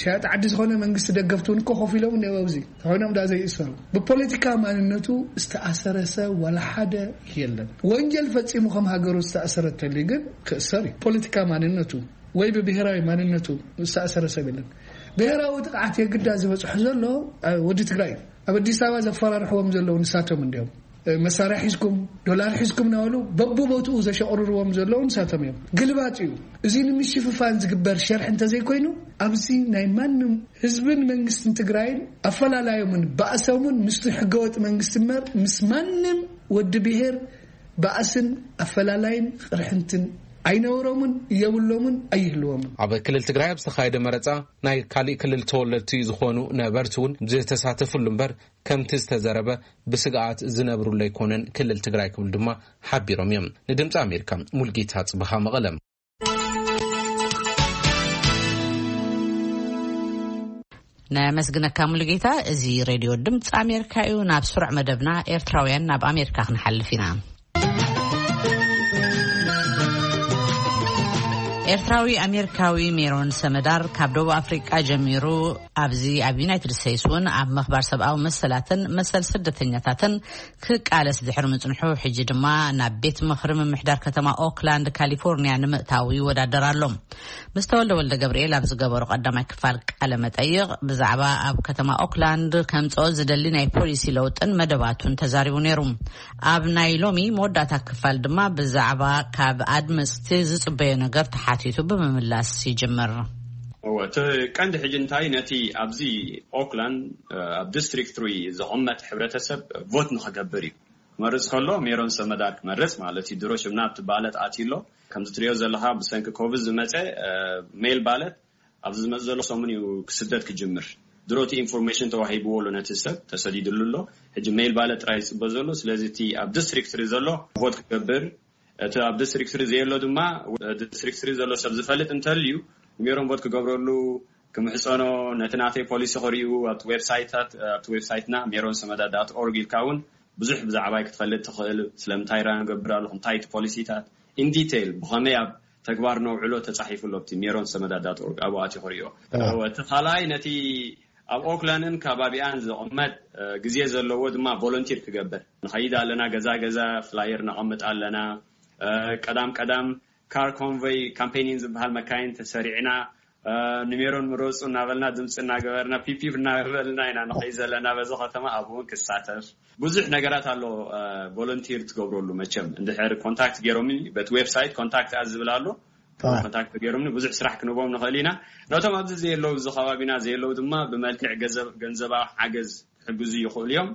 ሸያጢ ዓዲ ዝኾነ መንግስቲ ደገፍቲ እውን እኮ ኮፍ ኢሎም እኒአው ኣብዚ ተኾይኖም ዳ ዘይእሰሩ። ብፖለቲካ ማንነቱ ዝተኣሰረ ሰብ ዋላ ሓደ የለን። ወንጀል ፈጺሙ ከም ሃገሩ ዝተኣሰረ ተልዩ ግን ክእሰር እዩ። ፖለቲካ ማንነቱ ወይ ብብሄራዊ ማንነቱ ዝተኣሰረ ሰብ የለን። ብሄራዊ ጥቕዓት የግዳ ዝበፅሑ ዘሎ ወዲ ትግራይ እዩ። ኣብ ኣዲስ ኣበባ ዘፈራርሕዎም ዘለዉ ንሳቶም እንዲዮም። መሳርያ ሒዝኩም ዶላር ሒዝኩም እናበሉ በብቦትኡ ዘሸቕርርዎም ዘለዉ ንሳቶም እዮም። ግልባጥ እዩ። እዚ ንምሽፍፋን ዝግበር ሸርሒ እንተዘይኮይኑ ኣብዚ ናይ ማንም ህዝብን መንግስትን ትግራይን ኣፈላላዮምን ባእሶምን ምስቲ ሕገወጥ መንግስቲ እምበር ምስ ማንም ወዲ ብሄር ባእስን ኣፈላላይን ቅርሕንትን ኣይነበሮምን የብሎምን ኣይህልዎምን። ኣብ ክልል ትግራይ ኣብ ዝተኻየደ መረፃ ናይ ካሊእ ክልል ተወለድቲ ዝኾኑ ነበርቲ እውን ዝተሳተፍሉ እምበር ከምቲ ዝተዘረበ ብስግኣት ዝነብሩሉ ኣይኮነን ክልል ትግራይ ክብሉ ድማ ሓቢሮም እዮም። ንድምፂ ኣሜሪካ ሙልጌታ ፅብሃ መቐለ። ነመስግነካ ሙሉጌታ። እዚ ሬድዮ ድምፂ ኣሜሪካ እዩ። ናብ ስሩዕ መደብና ኤርትራውያን ናብ ኣሜሪካ ክንሓልፍ ኢና። ኤርትራዊ ኣሜሪካዊ ሜሮን ሰመዳር ካብ ደቡብ ኣፍሪቃ ጀሚሩ ኣብዚ ኣብ ዩናይትድ ስቴትስ እውን ኣብ ምኽባር ሰብኣዊ መሰላትን መሰል ስደተኛታትን ክቃለስ ድሕሪ ምጽንሑ፣ ሕጂ ድማ ናብ ቤት ምኽሪ ምምሕዳር ከተማ ኦክላንድ ካሊፎርኒያ ንምእታው ይወዳደር ኣሎ። ምስ ተወልደ ወልደ ገብርኤል ኣብ ዝገበሮ ቀዳማይ ክፋል ቃለ መጠይቕ ብዛዕባ ኣብ ከተማ ኦክላንድ ከምጽኦ ዝደሊ ናይ ፖሊሲ ለውጥን መደባቱን ተዛሪቡ ነይሩ። ኣብ ናይ ሎሚ መወዳእታ ክፋል ድማ ብዛዕባ ካብ ኣድመጽቲ ዝጽበዮ ነገር ተሓቲቱ ብምምላስ ይጅምር። እወ፣ እቲ ቀንዲ ሕጂ እንታይ ነቲ ኣብዚ ኦክላንድ፣ እ፣ ኣብ ዲስትሪክት ትሪ ዝቕመጥ ሕብረተሰብ ቮት ንኽገብር እዩ። ክመርጽ ከሎ ሜሮን ሰመዳር ክመርጽ ማለት እዩ። ድሮ ሽምና ኣብቲ ባለት ኣትዩ ኣሎ። ከምዚ ትሪኦ ዘለኻ ብሰንኪ ኮቪድ ዝመጸ፣ እ፣ ሜል ባለት ኣብዚ ዝመጽእ ዘሎ ሰሙን እዩ ክስደድ ክጅምር። ድሮ እቲ ኢንፎርሜሽን ተዋሂብዎ ኣሎ፣ ነቲ ሰብ ተሰዲድሉ ኣሎ። ሕጂ ሜል ባለት ጥራይ ዝጽበ ዘሎ። ስለዚ እቲ ኣብ ዲስትሪክት ትሪ ዘሎ ቮት ክገብር፣ እቲ ኣብ ዲስትሪክት ትሪ ዘየሎ ድማ ዲስትሪክት ትሪ ዘሎ ሰብ ዝፈልጥ እንተልዩ ንሜሮን ቮት ክገብረሉ ክምሕጸኖ፣ ነቲ ናተይ ፖሊሲ ክርእዩ ኣብቲ ዌብሳይታት፣ ኣብቲ ዌብሳይትና ሜሮን ሰመዳ ዳት ኦርግ ኢልካ እውን ብዙሕ ብዛዕባይ ክትፈልጥ ትኽእል። ስለምንታይ ራ ንገብር ኣለኹ፣ እንታይ እቲ ፖሊሲታት ኢን ዲቴይል ብኸመይ ኣብ ተግባር ነውዕሎ ተጻሒፉ ኣሎ ኣብቲ ሜሮን ሰመዳ ዳት ኦርግ፣ ኣብኡ ኣትዩ ክርእዮ። ኣዎ። እቲ ካልኣይ ነቲ ኣብ ኦክላንድን ከባቢኣን ዝቕመጥ፣ እ፣ ግዜ ዘለዎ ድማ ቮለንቲር ክገብር ንኸይድ ኣለና። ገዛ ገዛ ፍላየር ነቐምጥ ኣለና። እ፣ ቀዳም ቀዳም ካር ኮንቨይ ካምፔኒን ዝበሃል መካይን ተሰሪዕና፣ እ፣ ንሜሮን ምረጹ እናበልና ድምፂ እናገበርና ፒፒፕ እናበልና ኢና ንኸይድ ዘለና። በዚ ከተማ ኣብኡ እውን ክሳተፍ ብዙሕ ነገራት ኣሎ። እ፣ ቮለንቲር ትገብረሉ መቸም እንድሕር ኮንታክት ገይሮምኒ በቲ ዌብሳይት ኮንታክት ኣስ ዝብል ኣሎ። ኣዎ። ኮንታክት ገይሮምኒ ብዙሕ ስራሕ ክንቦም ንኽእል ኢና። ነቶም ኣብዚ ዘየለዉ፣ እዚ ከባቢና ዘየለዉ ድማ ብመልክዕ ገንዘብ-፣ ገንዘባዊ ሓገዝ ክሕግዙ ይኽእሉ እዮም።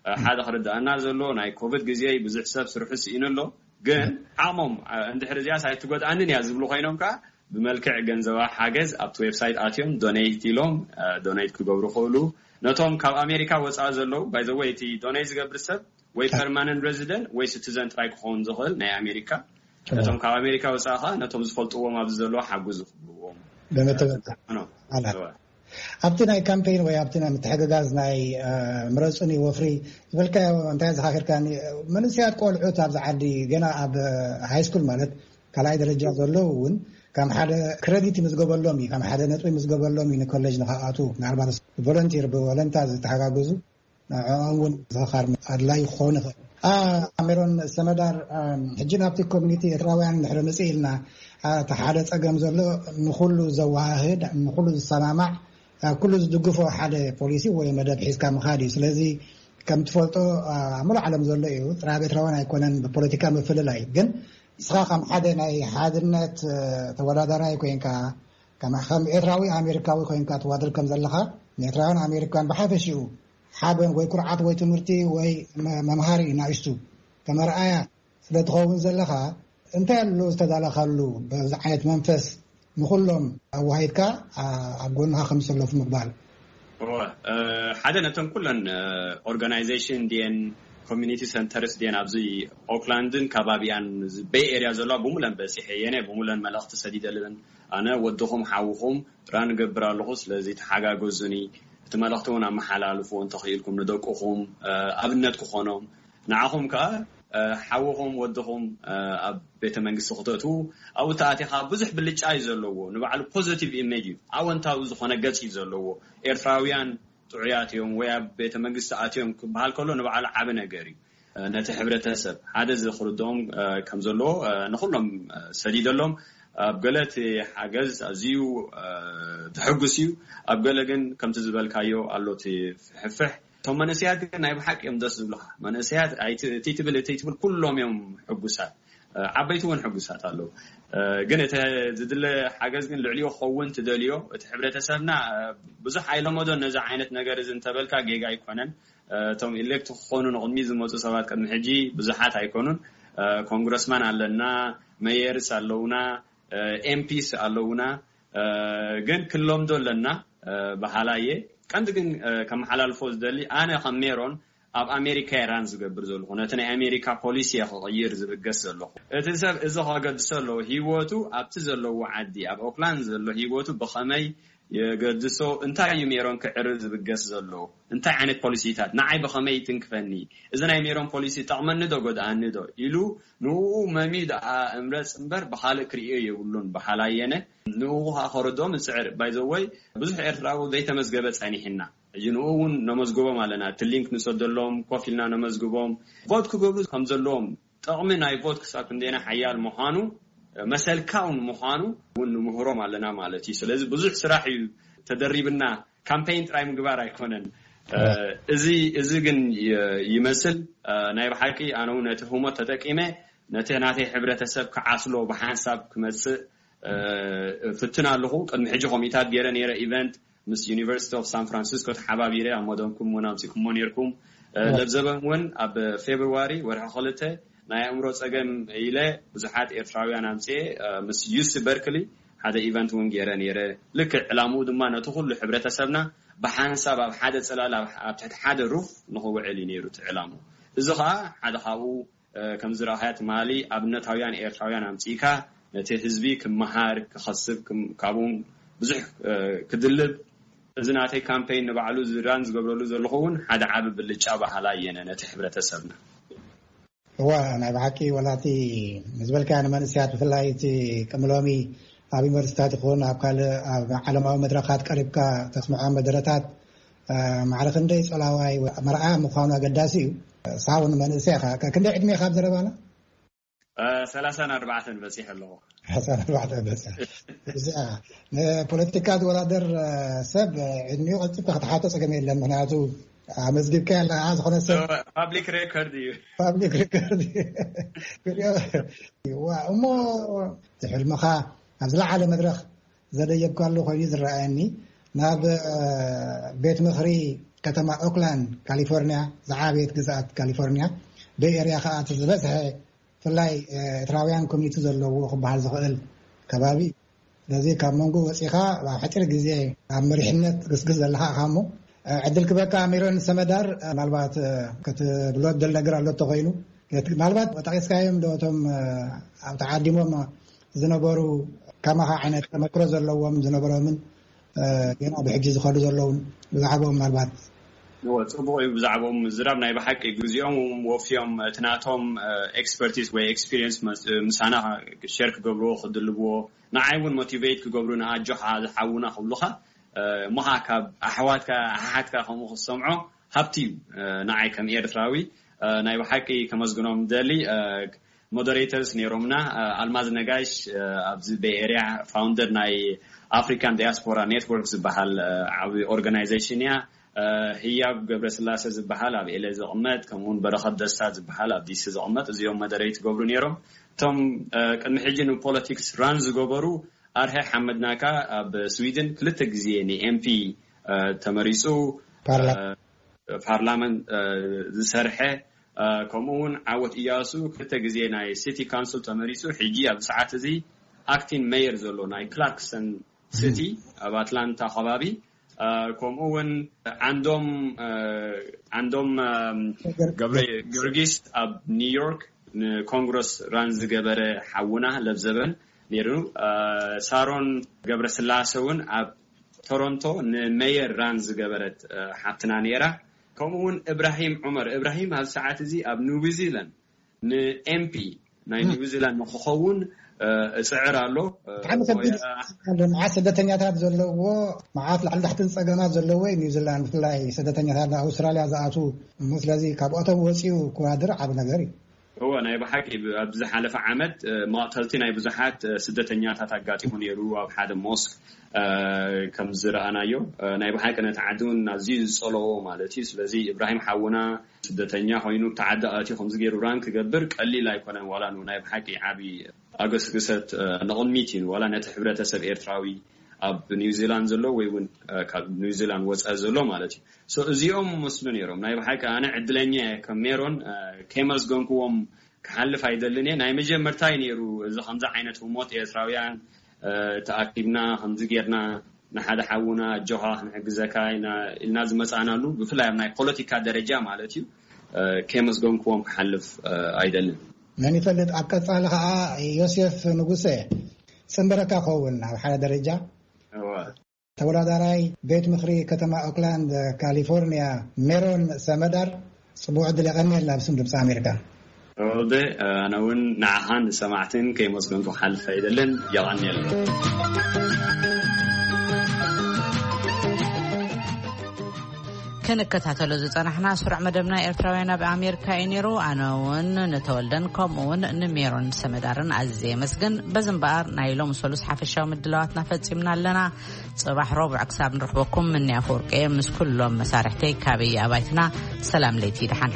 እ፣ ሓደ ክርዳእና ዘሎ ናይ ኮቪድ ግዜ ብዙሕ ሰብ ስርሑ ስኢኑ ኣሎ። ግን ዓቕሞም፣ እ፣ እንድሕር እዚኣስ ኣይትጎድኣንን እያ ዝብሉ ኮይኖም ከኣ ብመልክዕ ገንዘባዊ ሓገዝ ኣብቲ ዌብሳይት ኣትዮም ዶኔት ኢሎም፣ እ፣ ዶኔት ክገብሩ ይኽእሉ። ነቶም ካብ ኣሜሪካ ወፃኢ ዘለዉ፣ ባይ ዘ ወይ፣ እቲ ዶኔት ዝገብር ሰብ ወይ ፐርማነንት ሬዚደንት ወይ ሲቲዘን ጥራይ ክኸውን ዝኽእል ናይ ኣሜሪካ። እዎ። ነቶም ካብ ኣሜሪካ ወፃኢ ኸኣ ነቶም ዝፈልጥዎም ኣብዚ ዘለዉ ሓግዙ ክብልዎም። ብምትብባዕ። ኖ። ኣላ። እወ። ኣብቲ ናይ ካምፔን ወይ ኣብቲ ናይ ምትሕግጋዝ ናይ፣ እ፣ ምረጹኒ ወፍሪ ዝበልካዮ እንታይ ዘኻኺርካኒ? መንእሰያት ቆልዑት ኣብዚ ዓዲ ገና ኣብ ሃይ ስኩል ማለት ካልኣይ ደረጃ ዘለዉ እውን ከም ሓደ ክረዲት ይምዝገበሎም እዩ፣ ከም ሓደ ነጥቢ ይምዝገበሎም እዩ ንኮሌጅ ንኸኣቱ። ምናልባት ቮለንቲር ብወለንታ ዝተሓጋገዙ ንዕኦም እውን ዝኽኻር ኣድላዪ ክኸውን ይኽእል። ኣ፣ ሜሮን ሰመዳር፣ ኣ፣ ሕጂ ናብቲ ኮሚኒቲ ኤርትራውያን እንድሕሪ ምጽእ ኢልና፣ ኣ፣ እቲ ሓደ ጸገም ዘሎ ንኹሉ ዘወሃህድ፣ ንኹሉ ዝሰማማዕ፣ ኣ፣ ኩሉ ዝድግፎ ሓደ ፖሊሲ ወይ መደብ ሒዝካ ምኻድ እዩ። ስለዚ ከም ትፈልጦ፣ ኣ፣ ኣብ ሙሉእ ዓለም ዘሎ እዩ። ጥራይ ኣብ ኤርትራውያን ኣይኮነን ብፖለቲካ ምፍልላይ። ግን ንስኻ ከም ሓደ ናይ ሓድነት፣ እ፣ ተወዳዳራይ ኮይንካ፣ ከም፣ ከም ኤርትራዊ ኣሜሪካዊ ኮይንካ ትዋደል ከም ዘለኻ፣ ንኤርትራውያን ኣሜሪካውያን ብሓፈሽኡ ሓበን ወይ ኩርዓት ወይ ትምህርቲ ወይ መ-፣ መምሃሪ ናእሽቱ ከም ኣርኣያ ስለ ትኸውን ዘለኻ፣ እንታይ ኣሎ ዝተዳለኻሉ በዚ ዓይነት መንፈስ ንኹሎም ኣዋሂድካ ኣ-፣ ኣብ ጎንኻ ከም ዝሰለፉ ምግባር? እወ፣ እ፣ ሓደ ነተን ኩለን፣ እ፣ ኦርጋናይዜሽን ድየን ኮሚኒቲ ሰንተርስ ድየን ኣብዚ ኦክላንድን ከባቢኣን ቤይ ኤርያ ዘለዋ ብሙለን በጺሐ እየ፣ ብሙለን መልእኽቲ ሰዲደለን። ኣነ ወድኹም ሓውኹም ጥራ ንገብር ኣለኹ፣ ስለዚ ተሓጋገዙኒ። እቲ መልእኽቲ እውን ኣመሓላልፉ እንተኽኢልኩም ንደቅኹም፣ እ፣ ኣብነት ክኾኖም። ንዓኹም ከኣ፣ እ፣ ሓውኹም ወድኹም፣ እ፣ ኣብ ቤተ መንግስቲ ክተእትዉ ኣብኡ ተኣቲኻ ብዙሕ ብልጫ እዩ ዘለዎ። ንባዕሉ ፖዚቲቭ ኢሜጅ እዩ፣ ኣወንታዊ ዝኾነ ገጽ እዩ ዘለዎ። ኤርትራውያን ጥዑያት እዮም ወይ ኣብ ቤተ መንግስቲ ኣትዮም ክበሃል ከሎ ንባዕሉ ዓቢ ነገር እዩ። እ፣ ነቲ ሕብረተሰብ ሓደ እዚ ክርድኦም፣ እ፣ ከም ዘለዎ፣ እ፣ ንኹሎም፣ እ፣ ሰዲደሎም። ኣብ ገለ እቲ ሓገዝ ኣዝዩ፣ እ፣ ዘሐጉስ እዩ። ኣብ ገለ ግን ከምቲ ዝበልካዮ ኣሎ እቲ ፍሕፍሕ። እቶም መንእሰያት ግን ናይ ብሓቂ እዮም ደስ ዝብሉኻ። መንእሰያት ኣይቲ-፣ እቲ ትብል፣ እቲ ትብል ኩሎም እዮም ሕጉሳት። እ፣ ዓበይቲ እውን ሕጉሳት ኣለዉ። እ፣ ግን እቲ ዝድለ ሓገዝ ግን ልዕሊኡ ክኸውን ትደልዮ። እቲ ሕብረተሰብና፣ እ፣ ብዙሕ ኣይለመዶን ነዚ ዓይነት ነገር እዚ እንተበልካ ጌጋ ኣይኮነን። እ፣ እቶም ኢሌክት ክኾኑ ንቕድሚ ዝመጹ ሰባት ቅድሚ ሕጂ ብዙሓት ኣይኮኑን። እ፣ ኮንግረስማን ኣለና፣ ሜየርስ ኣለውና፣ እ፣ ኤምፒስ ኣለውና። እ፣ ግን ክንለምዶ ኣለና፣ እ፣ በሃላይ እየ። ቀንዲ ግን፣ እ፣ ከመሓላልፎ ዝደሊ ኣነ ከም ሜሮን ኣብ ኣሜሪካ እየ ራን ዝገብር ዘለኹ። ነቲ ናይ ኣሜሪካ ፖሊሲ እየ ክቕይር ዝብገስ ዘለኹ። እቲ ሰብ እዚ ከገድሶ ኣለዎ። ህይወቱ ኣብቲ ዘለዎ ዓዲ፣ ኣብ ኦክላንድ ዘሎ ህይወቱ ብኸመይ የገድሶ። እንታይ እዩ ሜሮን ክዕርብ ዝብገስ ዘሎ? እንታይ ዓይነት ፖሊሲታት ንዓይ ብኸመይ ይትንክፈኒ? እዚ ናይ ሜሮን ፖሊሲ ጠቕመኒ ዶ ጎድኣኒ ዶ ኢሉ ንኡ መምዩ ደኣ እምረጽ እምበር ብኻልእ ክርእዮ የብሉን በሃላይ የነ። ንኡ ከዓ ከረድኦም እጽዕር። ባይዘወይ ብዙሕ ኤርትራዊ ዘይተመዝገበ ጸኒሕና። ሕጂ ንኡ እውን ነመዝግቦም ኣለና። እቲ ሊንክ ንሰደሎም፣ ኮፍ ኢልና ነመዝግቦም። ቮት ክገብሩ ከም ዘለዎም፣ ጥቕሚ ናይ ቮት ክሳብ ክንደና ሓያል ምዃኑ፣ መሰልካ እውን ምዃኑ እውን ንምህሮም ኣለና ማለት እዩ። ስለዚ ብዙሕ ስራሕ እዩ ተደሪብና። ካምፔይን ጥራይ ምግባር ኣይኮነን። እዚ፣ እዚ ግን ይ-፣ ይመስል። ናይ ብሓቂ ኣነ እውን ነቲ ህሞት ተጠቂመ ነቲ ናተይ ሕብረተሰብ ክዓስሎ ብሓንሳብ ክመጽእ ፍትን ኣለኹ። ቅድሚ ሕጂ ኮሚታት ገይረ ነይረ ኢቨንት ምስ ዩኒቨርሲቲ ኦፍ ሳን ፍራንሲስኮ ተሓባቢረ ኣብ መደብኩም እውን ኣምጺእኩሞ ነይርኩም። ለብዘበን እውን ኣብ ፌብርዋሪ ወርሒ ክልተ ናይ ኣእምሮ ጸገም ኢለ ብዙሓት ኤርትራውያን ኣምጺኤ ምስ ዩሲ በርክሊ ሓደ ኢቨንት እውን ገይረ ነይረ። ልክዕ ዕላምኡ ድማ ነቲ ኩሉ ሕብረተሰብና ብሓንሳብ ኣብ ሓደ ጽላል ኣብ፣ ኣብ ትሕቲ ሓደ ሩፍ ንኽውዕል እዩ ነይሩ እቲ ዕላምኡ። እዚ ኸኣ ሓደ ካብኡ ከም ዝረኣኻያ ትማሊ ኣብነታውያን ኤርትራውያን ኣምጺእካ ነቲ ህዝቢ ክመሃር፣ ክኸስብ፣ ክም-፣ ካብኡ ብዙሕ ክድልብ፣ እዚ ናተይ ካምፔይን ንባዕሉ ዝራን ዝገብረሉ ዘለኹ እውን ሓደ ዓቢ ብልጫ በሃላይ እየ ነቲ ሕብረተሰብና። እዋ፣ ናይ ብሓቂ ወላቲ ዝበልካያ ንመንእሰያት ብፍላይ እቲ ቅምሎሚ ኣብ ዩኒቨርሲታት ይኹን ኣብ ካልእ ኣብ ዓለማዊ መድረኻት ቀሪብካ ተስምዖ መደረታት ማዕረ ክንደይ ጸላዋይ መርኣያ ምዃኑ ኣገዳሲ እዩ። ሳውን መንእሰይ ኢኻ። ከ-፣ ክንደይ ዕድሜ ኢኻ ኣብ ዘረባና? ሰላሳን ኣርባዕተን በጺሐ ኣለኹ። ሰላሳን ኣርባዕተን በጺሐ። እዚኣ ንፖለቲካ ዝወዳደር ሰብ ዕድሚኡ ቀልጢፍካ ክትሓቶ ጸገም የለን። ምኽንያቱ ኣመዝጊብካ ኣለኻ ዝኾነ ሰብ ፓብሊክ ሬኮርድ እዩ። ፓብሊክ ሬኮርድ እዩ። ዋ፣ እሞ እቲ ሕልምኻ ኣብ ዝለዓለ መድረኽ ዘደየብካሉ ኮይኑ ዝረኣየኒ ናብ ቤት ምኽሪ ከተማ ኦክላንድ ካሊፎርኒያ፣ ዝዓበየት ግዝኣት ካሊፎርኒያ፣ ቤይ ኤርያ ከዓ እቲ ዝበዝሐ ብፍላይ ኤርትራውያን ኮሚኒቲ ዘለዎ ክበሃል ዝኽእል ከባቢ እዩ። ስለዚ ካብ መንጎ ወፂኻ ኣብ ሓፂር ግዜ ኣብ መሪሕነት ትግስግስ ዘለኻ ኢኻ እሞ ዕድል ክበካ ሜሮን ሰመዳር ምናልባት ክትብሎ ደል ነገር ኣሎ ተኮይኑ ምናልባት ጠቂስካዮም ዶ እቶም ኣብ ተዓዲሞም ዝነበሩ ከማኻ ዓይነት ተመክሮ ዘለዎም ዝነበሮምን ገና ብሕጂ ዝኸዱ ዘለውን ብዛዕባኦም ምናልባት እዎ፣ ጽቡቕ እዩ ብዛዕባኦም ምዝራብ። ናይ ብሓቂ ግዜኦም ወፍዮም እቲ ናቶም ኤክስፐርቲስ ወይ ኤክስፒሪየንስ ምሳና ሸር ክገብርዎ ክድልብዎ፣ ንዓይ እውን ሞቲቬት ክገብሩ ንኣጆኻ ዝሓውና ክብሉኻ እሞኻ ካብ ኣሕዋትካ ኣሓሓትካ ከምኡ ክትሰምዖ ሃብቲ እዩ። ንዓይ ከም ኤርትራዊ ናይ ብሓቂ ከመስግኖም ደሊ ሞደሬተርስ ነይሮምና። ኣልማዝ ነጋሽ ኣብዚ ቤይ ኤርያ ፋውንደር ናይ ኣፍሪካን ዲያስፖራ ኔትወርክ ዝበሃል ዓብዪ ኦርጋናይዜሽን እያ። ህያብ ገብረስላሴ ዝበሃል ኣብ ኤለ ዝቕመጥ፣ ከምኡውን በረኸት ደስታ ዝበሃል ኣብ ዲሲ ዝቕመጥ፣ እዚኦም መደረይ ትገብሩ ነይሮም። እቶም ቅድሚ ሕጂ ንፖለቲክስ ራን ዝገበሩ ኣርሀ ሓመድናካ ኣብ ስዊድን ክልተ ግዜ ንኤምፒ ተመሪፁ። ፓርላመን ዝሰርሐ ከምኡ እውን ዓወት እያሱ ክልተ ግዜ ናይ ሲቲ ካውንስል ተመሪፁ። ሕጂ ኣብ ሰዓት እዚ ኣክቲን ሜየር ዘሎ ናይ ክላርክሰን ሲቲ ኣብ ኣትላንታ ከባቢ ከምኡ እውን ዓንዶም ዓንዶም ገብረ ጊዮርጊስ ኣብ ኒውዮርክ ንኮንግረስ ራን ዝገበረ ሓውና ለብዘበን ነይሩ። ሳሮን ገብረስላሴ እውን ኣብ ቶሮንቶ ንሜየር ራን ዝገበረት ሓብትና ነይራ። ከምኡ እውን እብራሂም ዑመር እብራሂም ኣብ ሰዓት እዚ ኣብ ኒውዚላንድ ንኤምፒ ናይ ኒውዚላንድ ንክኸውን እፅዕር ኣሎ። ብጣዕሚ ከቢድ ኣሎ። መዓት ስደተኛታት ዘለዎ መዓት ላዕሊ ታሕትን ፀገማት ዘለዎ እዩ ኒውዚላንድ ብፍላይ ስደተኛታት ኣውስትራሊያ ዝኣትዉ እሞ ስለዚ ካብኦቶም ወፂኡ ክዋድር ዓብ ነገር እዩ። እወ ናይ ብሓቂ ኣብ ዝሓለፈ ዓመት መቕተልቲ ናይ ብዙሓት ስደተኛታት ኣጋጢሙ ነይሩ ኣብ ሓደ ሞስክ ከም ዝረኣናዮ ናይ ብሓቂ ነቲ ዓዲ እውን ኣዝዩ ዝፀለዎ ማለት እዩ። ስለዚ እብራሂም ሓውና ስደተኛ ኮይኑ ብቲ ዓዲ ኣትዩ ከምዚ ገይሩ ራን ክገብር ቀሊል ኣይኮነን። ዋላ ን ናይ ብሓቂ ዓብዪ ኣገስግሰት ንቕድሚት እዩ ዋላ ነቲ ሕብረተሰብ ኤርትራዊ ኣብ ኒውዚላንድ ዘሎ ወይ እውን ካብ ኒውዚላንድ ወፃኢ ዘሎ ማለት እዩ። እዚኦም መስሉ ነይሮም ናይ ብሓቂ ኣነ ዕድለኛ እየ ከም ሜሮን ከየመስገንክዎም ክሓልፍ ኣይደልን እየ። ናይ መጀመርታይ ነይሩ እዚ ከምዚ ዓይነት ህሞት ኤርትራውያን ተኣኪብና ከምዚ ጌርና ንሓደ ሓውና ኣጆኻ ክንሕግዘካ ኢልና ዝመፃእናሉ ብፍላይ ኣብ ናይ ፖለቲካ ደረጃ ማለት እዩ ከየመስገንክዎም ክሓልፍ ኣይደልን። መን ይፈልጥ ኣብ ቀፃሊ ከዓ ዮሴፍ ንጉሰ ፅንበረካ ኸውን ኣብ ሓደ ደረጃ ተወዳዳራይ ቤት ምኽሪ ከተማ ኦክላንድ ካሊፎርኒያ ሜሮን ሰመዳር፣ ጽቡቕ ዕድል የቐንየልና ብስም ድምፂ ኣሜሪካ። ሮልደ፣ ኣነ እውን ንዓኻን ንሰማዕትን ከይመስገንኩ ክሓልፍ ኣይደልን። የቐንየልና። ክንከታተሎ ዝጸናሕና ስሩዕ መደብና ኤርትራውያን ኣብ ኣሜሪካ እዩ ነይሩ። ኣነ እውን ንተወልደን ከምኡ እውን ንሜሮን ሰመዳርን ኣዝየ የመስግን። በዚ እምበኣር ናይ ሎም ሰሉስ ሓፈሻዊ ምድላዋትና ፈጺምና ኣለና። ጽባሕ ረቡዕ ክሳብ ንረኽበኩም ምንያ ፍወርቂ ምስ ኩሎም መሳርሕተይ ካበየ ኣባይትና ሰላም ለይቲ ደሓን